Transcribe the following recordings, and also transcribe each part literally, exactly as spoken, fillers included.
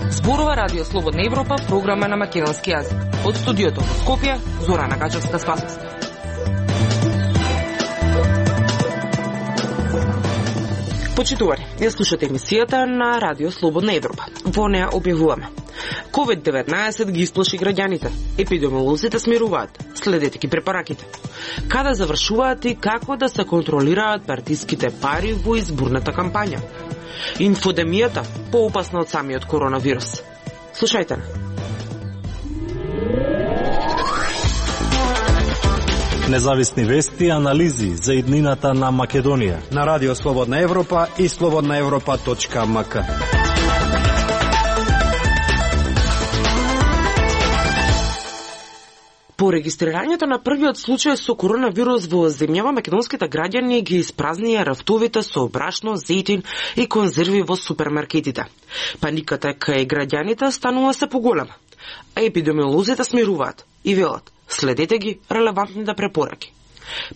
Зборува Радио Слободна Европа, програма на македонски јазик. Од студиото во Скопје, Зорана Гачевска-Спасовска. Почитувани, ја слушате емисијата на Радио Слободна Европа. Во неа објавуваме: ковид деветнаесет ги исплаши граѓаните. Епидемиолозите смируваат. Следете ги препараките. Каде завршуваат и како да се контролираат партиските пари во изборната кампања? Инфодемијата поопасна од самиот коронавирус. Слушајте. Независни вести и анализи за иднината на Македонија на Радио Слободна Европа и слободна европа точка ем ка. По регистрирањето на првиот случај со коронавирус во земјава, македонските граѓани ги испразнија рафтовите со брашно, зејтин и конзерви во супермаркетите. Паниката кај граѓаните станува се поголема, а епидемиолозите смируваат и велат: следете ги релевантните препораки.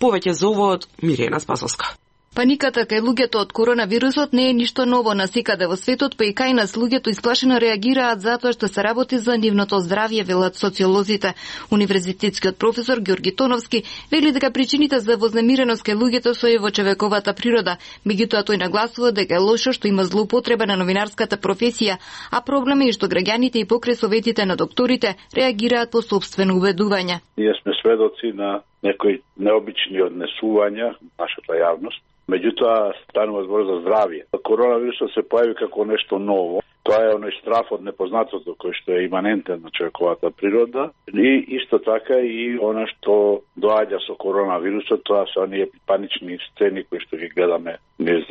Повеќе за ова од Мирена Спасовска. Паниката кај луѓето од коронавирусот не е ништо ново насекаде во светот, па и кај нас луѓето исплашено реагираат затоа што се работи за нивното здравје, велат социолозите. Универзитетскиот професор Ѓорги Тоновски вели дека причините за вознемиреност кај луѓето се и во човековата природа, меѓутоа тој нагласува дека е лошо што има злоупотреба на новинарската професија, а проблем е што граѓаните и покрај советите на докторите реагираат по сопствено убедување. Ние сме сведоци на некои необични однесувања нашата јавност. Меѓутоа, станува збор за здравје. Коронавирусот се појави како нешто ново. Тоа е оној страф од непознатото кој што е иманентен на човековата природа. И исто така и она што доаѓа со коронавирусот, тоа се оние панични сцени кои што ги гледаме низ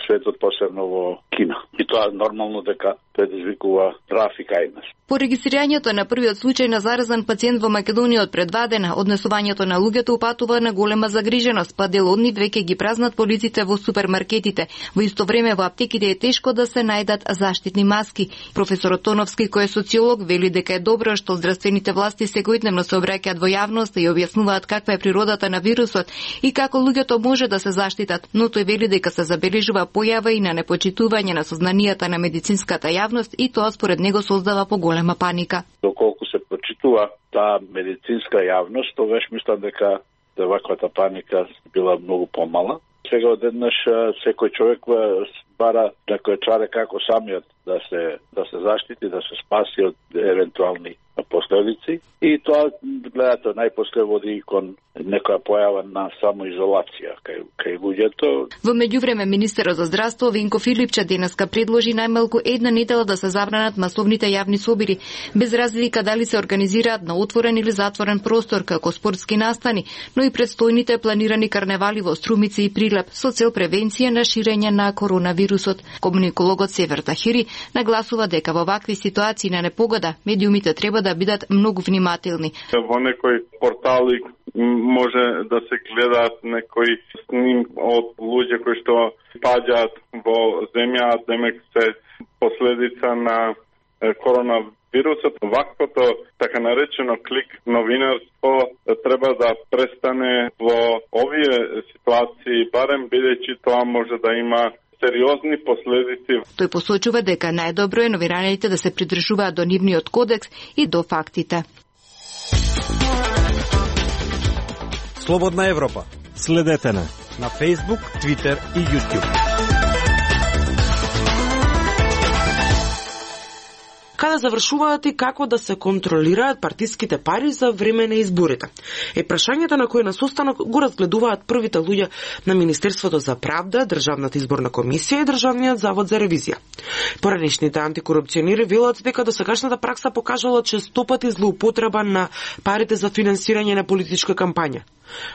светот, посебно во Кина. И тоа нормално дека предизвикува трафик кај нас. По регистрирањето на првиот случај на заразен пациент во Македонија од пред два дена, однесувањето на луѓето упатува на голема загриженост, па дел од нив веќе ги празнат полиците во супермаркетите. Во исто време во аптеките е тешко да се најдат заштитни маски. Професорот Тоновски, кој е социолог, вели дека е добро што здравствените власти секојдневно се обраќаат во јавноста и објаснуваат каква е природата на вирусот и како луѓето може да се заштитат, но тој вели дека се забележува појава и на непочитување на сознанијата на медицинската јавност и тоа според него создава поголема паника. Доколку се почитува таа медицинска јавност, тогаш мислам дека ваквата паника била многу помала. Сега одеднаш секој човек бара некој чаре како самиот да се да се заштити, да се спаси од евентуални последици и тоа гледате најпосле води кон некоја појава на самоизолација кај кај луѓето. Во меѓувреме министерот за здравство Винко Филипче денеска предложи најмалку една недела да се забранат масовните јавни собири, без разлика дали се организираат на отворен или затворен простор како спортски настани, но и предстојните планирани карневали во Струмица и Прилеп со цел превенција на ширење на коронавирусот. Комуникологот Север Тахири нагласува дека во вакви ситуации на непогода медиумите треба да бидат многу внимателни. Во некои портали може да се гледаат некои сним од луѓе кои што паѓаат во земја, демек се последица на коронавирусот. Ваквото така наречено клик новинарство треба да престане во овие ситуации, барем бидејќи тоа може да има сериозни последици. Тој посочува дека најдобро е новинарите да се придржуваат до нивниот кодекс и до фактите. Слободна Европа. Следете на на Facebook, Twitter и YouTube. Каде завршуваат и како да се контролираат партиските пари за време на изборите? Е прашањето на кој на состанок го разгледуваат првите луѓе на Министерството за правда, Државната изборна комисија и Државниот завод за ревизија. Поранешните антикорупционери велат дека досегашната пракса покажала честопати злоупотреба на парите за финансирање на политичка кампања,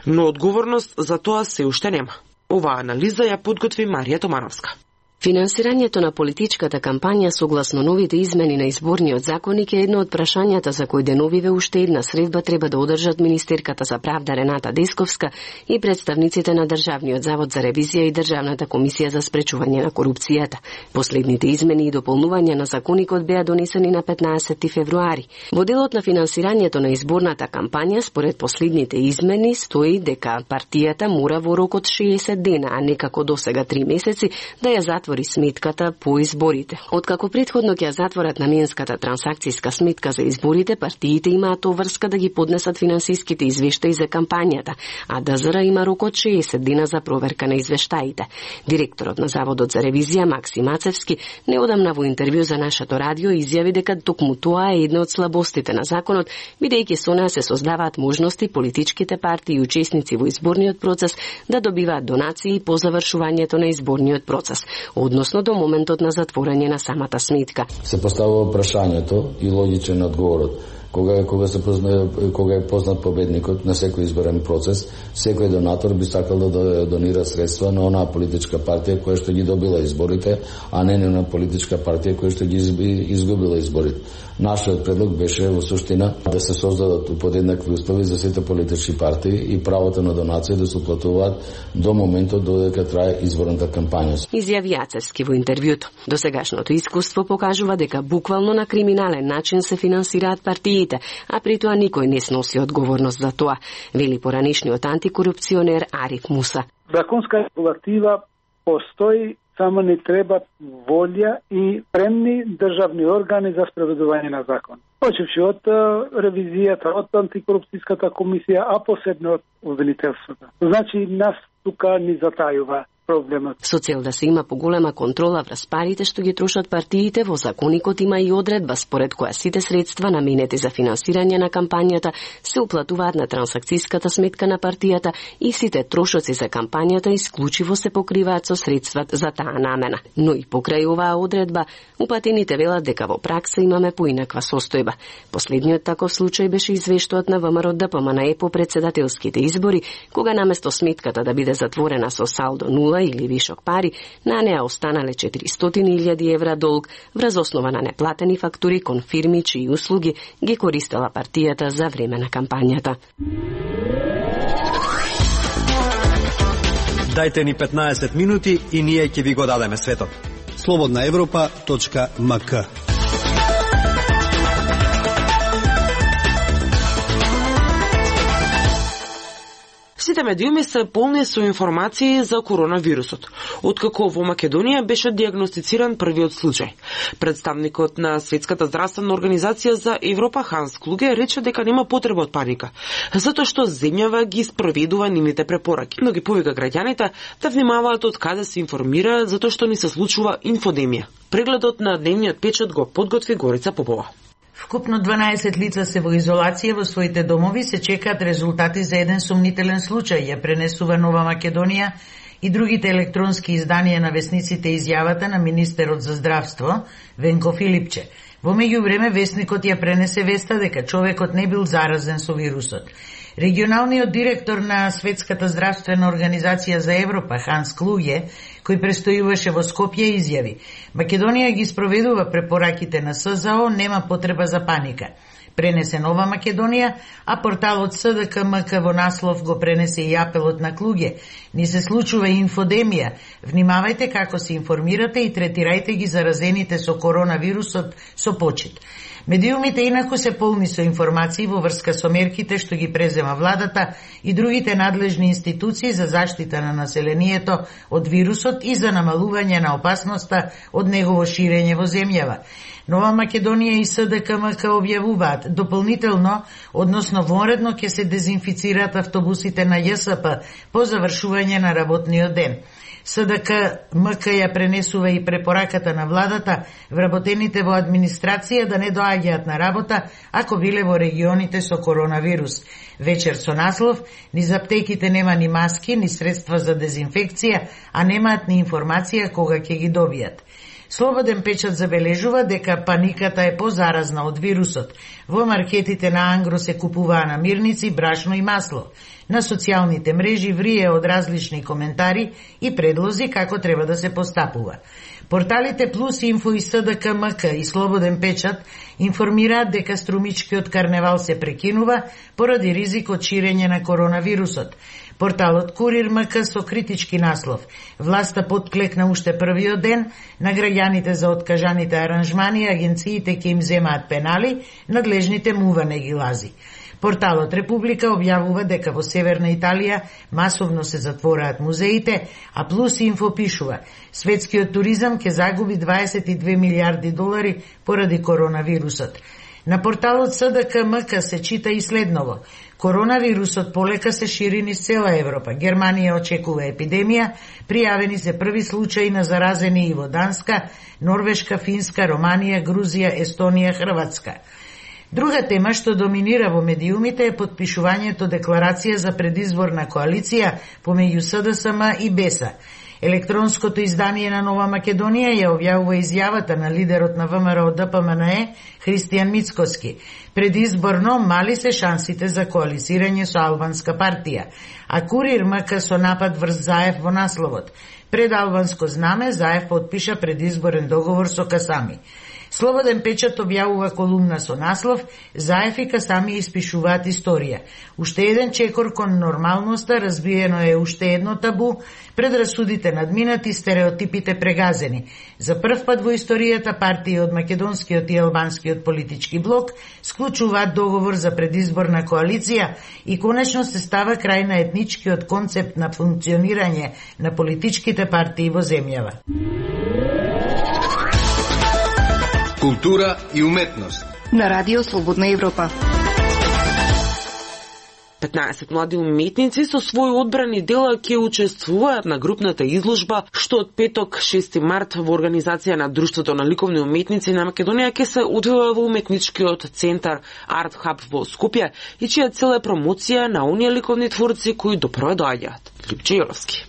но одговорност за тоа се уште нема. Оваа анализа ја подготви Марија Томановска. Финансирањето на политичката кампања согласно новите измени на изборниот законник е едно од прашањата за кои деновиве уште една средба треба да одржат министерката за правда Рената Десковска и представниците на Државниот завод за ревизија и Државната комисија за спречување на корупцијата. Последните измени и дополнувања на законникот беа донесени на петнаесети февруари. Во делот на финансирањето на изборната кампања, според последните измени, стои дека партијата мора во рок од шеесет дена, а не како досега три месеци, да ја затвори сметката по изборите. Откако претходно ќе ја затворат наменската трансакцијска сметка за изборите, партиите имаат обврска да ги поднесат финансиските извештаи за кампањата, а ДЗР има рок од шеесет дена за проверка на извештаите. Директорот на Заводот за ревизија Макси Мацевски неодамна во интервју за нашето радио изјави дека токму тоа е една од слабостите на законот, бидејќи со неа се создаваат можности политичките партии и учесници во изборниот процес да добиваат донации по завршувањето на изборниот процес, односно до моментот на затворање на самата сметка. Се поставува прашањето и логичен одговорот. Кога, кога, се позна, кога е познат победникот на секој изборен процес, секој донатор би сакал да донира средства на онаа политичка партија која што ги добила изборите, а не на политичка партија која што ги изгубила изборите. Нашиот предлог беше во суштина да се создадат подеднакви услови за сите политички партии и правото на донација да се уплатуваат до моментот додека трае изборната кампања. Изјави Јацевски во интервјуто. Досегашното искуство покажува дека буквално на криминален начин се финансираат партии, а при тоа никој не сноси одговорност за тоа, вели поранишниот антикорупционер Ариф Муса. Законска регулатива постои, само не треба волја и премни државни органи за спроведување на закон. Почевши од ревизијата, од антикорупцијската комисија, а посебно од обвинителството. Значи, нас тука ни затајува проблемот. Со цел да се има поголема контрола врз парите што ги трошат партиите, во законникот има и одредба според која сите средства наменети за финансирање на кампањата се уплатуваат на трансакцијската сметка на партијата и сите трошоци за кампањата исклучиво се покриваат со средства за таа намена. Но и покрај оваа одредба, упатените велат дека во пракса имаме поинаква состојба. Последниот таков случај беше извештаот на ВМРО Д П М Н Е по председателските избори, кога наместо сметката да биде затворена со салдо нула или вишок пари, на неа останале четиристотини илјади евра долг врз основа на неплатени фактури кон фирми чии услуги ги користела партијата за време на кампањата. Дајте ни петнаесет минути и ние ќе ви го дадеме светот. слободна европа точка м к. Сите медиуми се полни со информации за коронавирусот, откако во Македонија беше диагностициран првиот случај. Представникот на Светската здравствена организација за Европа Ханс Клуге рече дека нема потреба од паника, затоа што земјава ги спроведува нивните препораки. Но ги повика граѓаните да внимаваат од каде се информираат, затоа што ни се случува инфодемија. Прегледот на дневниот печат го подготви Горица Попова. Вкупно дванаесет лица се во изолација во своите домови, се чекаат резултати за еден сомнителен случај, ја пренесува Нова Македонија и другите електронски изданија на весниците изјавата на министерот за здравство Венко Филипче. Во меѓувреме весникот ја пренесе веста дека човекот не бил заразен со вирусот. Регионалниот директор на Светската здравствена организација за Европа, Ханс Клуге, кој престојуваше во Скопје, изјави: Македонија ги спроведува препораките на С З О, нема потреба за паника. Пренесе Нова Македонија, а порталот С Д К М К во наслов го пренесе и апелот на Клуге: ни се случува инфодемија, внимавајте како се информирате и третирајте ги заразените со коронавирусот со почит. Медиумите инаку се полни со информации во врска со мерките што ги презема владата и другите надлежни институции за заштита на населението од вирусот и за намалување на опасноста од негово ширење во земјава. Нова Македонија и С Д К М К објавуваат дополнително, односно вонредно ќе се дезинфицираат автобусите на Ј С П по завршување на работниот ден. С Д К М К ја пренесува и препораката на владата вработените во администрација да не доаѓаат на работа ако биле во регионите со коронавирус. Вечер со наслов: низ аптеките нема ни маски, ни средства за дезинфекција, а немаат ни информација кога ќе ги добијат. Слободен печат забележува дека паниката е позаразна од вирусот. Во маркетите на Ангро се купуваа намирници, брашно и масло. На социјалните мрежи врие од различни коментари и предлози како треба да се постапува. Порталите Плюс Инфо и С Д К М К и Слободен печат информираат дека струмичкиот карневал се прекинува поради ризик од ширење на коронавирусот. Порталот Курир М К со критички наслов: власта подклекна уште првиот ден на граѓаните за откажаните аранжмани, агенциите ќе им земаат пенали, надлежните мува не ги лази. Порталот Република објавува дека во Северна Италија масовно се затвораат музеите, а Плюс Инфо пишува: светскиот туризам ќе загуби дваесет и две милиарди долари поради коронавирусот. На порталот С Д К М К се чита и следново: коронавирусот полека се шири низ цела Европа. Германија очекува епидемија, пријавени се први случаи на заразени и во Данска, Норвешка, Финска, Романија, Грузија, Естонија, Хрватска. Друга тема што доминира во медиумите е потпишувањето декларација за предизборна коалиција помеѓу С Д С М и Б С. Електронското издание на Нова Македонија ја објавува изјавата на лидерот на В М Р О Д П М Н Е Христијан Мицкоски. Предизборно мали се шансите за коалицирање со албанска партија, а Курир М К со напад врз Заев во насловот: пред албанско знаме Заев потпиша предизборен договор со Касами. Слободен печат објавува колумна со наслов: Заев и Касами испишуваат историја. Уште еден чекор кон нормалноста, разбиено е уште едно табу, предрасудите надминати, стереотипите прегазени. За прв пат во историјата партии од македонскиот и албанскиот политички блок склучуваат договор за предизборна коалиција и конечно се става крај на етничкиот концепт на функционирање на политичките партии во земјава. Култура и уметност на Радио Слободна Европа. петнаесет млади уметници со своји одбрани дела ќе учествуваат на групната изложба што од петок шести март во организација на Друштвото на ликовни уметници на Македонија ќе се одвива во уметничкиот центар Арт Хаб во Скопје и чија цел е промоција на оние ликовни творци кои допрво доаѓаат. Липче Јоровски.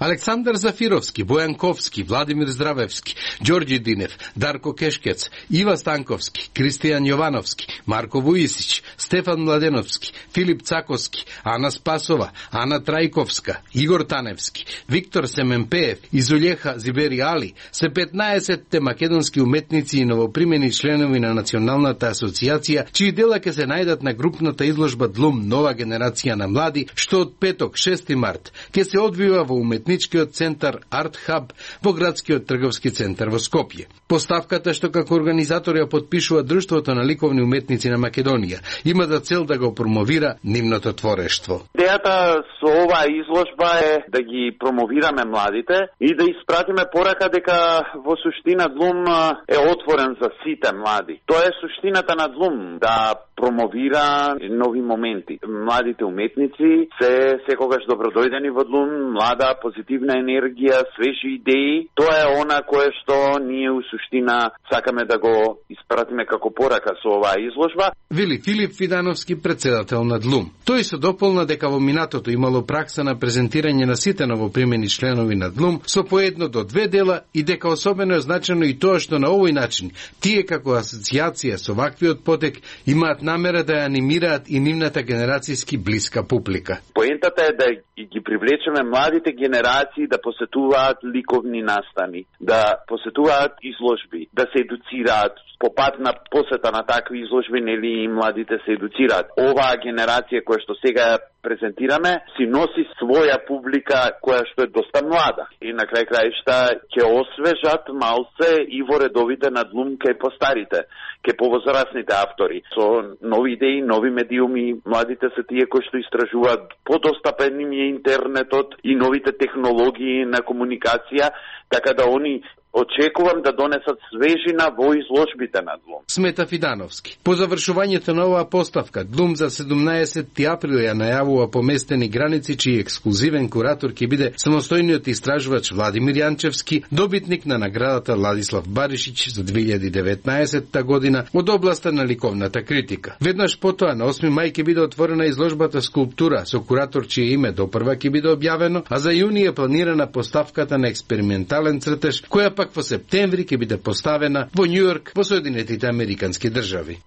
Александар Зафировски, Бојан Ковски, Владимир Здравевски, Ѓорѓи Динев, Дарко Кешкец, Ива Станковски, Кристијан Јовановски, Марко Вуисич, Стефан Младеновски, Филип Цаковски, Ана Спасова, Ана Трајковска, Игор Таневски, Виктор Семенпеев и Зулјеха Зибери Али се петнаесетте македонски уметници и новопримени членови на Националната асоциација, чии дела ќе се најдат на групната изложба Длум Нова генерација на млади, што од петок шести март ќе се одвива во уметници центар Арт Хаб во градскиот трговски центар во Скопје. Поставката што како организатор ја подпишува Друштвото на ликовни уметници на Македонија има за цел да го промовира нивното творештво. Идејата со оваа изложба е да ги промовираме младите и да испратиме порака дека во суштина Длум е отворен за сите млади. Тоа е суштината на Длум, да промовира нови моменти. Младите уметници се секогаш добродојдени во Длум, млада позитивна енергија, свежи идеи. Тоа е она кое што ние у суштина сакаме да го испратиме како порака со оваа изложба. Вели Филип Фидановски, председател на Длум. Тој се дополна дека во минатото имало пракса на презентирање на сите новопримени членови на Длум со по едно до две дела и дека особено е значено и тоа што на овој начин тие како асоциација со ваквиот потек имаат намера да ја анимираат и нивната генерацијски блиска публика. Поентата е да ги привлечеме младите генерации да посетуваат ликовни настани, да посетуваат изложби, да се едуцираат. По пат на посета на такви изложби, нели и младите се едуцираат. Оваа генерација која што сега ја презентираме си носи своја публика која што е доста млада. И на крај краишта ќе освежат малце и во редовите на Длум кај постарите, кај повозрасните автори. Со нови идеи, нови медиуми, младите се тие кои што истражуваат, подостапен им е интернетот и новите технологии на комуникација, така да они очекувам да донесат свежина во изложбите на Длум. Смета Фидановски. По завршувањето на оваа поставка, Длум за седумнаесетти април ја најавува поместени граници, чиј ексклузивен куратор ќе биде самостојниот истражувач Владимир Јанчевски, добитник на наградата Владислав Баришич за две илјади и деветнаесетта година од областа на ликовната критика. Веднаш потоа на осми мај ќе биде отворена изложбата Скулптура со куратор чие име допрва ќе биде објавено, а за јуни е планирана поставката на експериментален цртеж, која пак во септември ќе биде поставена во Њујорк во Соединетите Американски држави.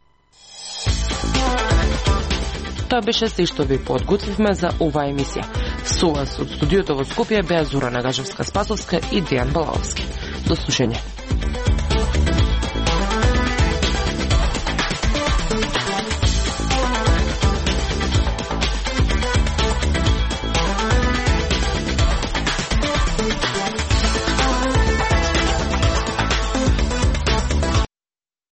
Тоа беше се што ви подготвивме за оваа емисија. Со вас од студиото во Скопје беа Зора Нагажевска-Спасовска и Дејан Балаовски. До слушање.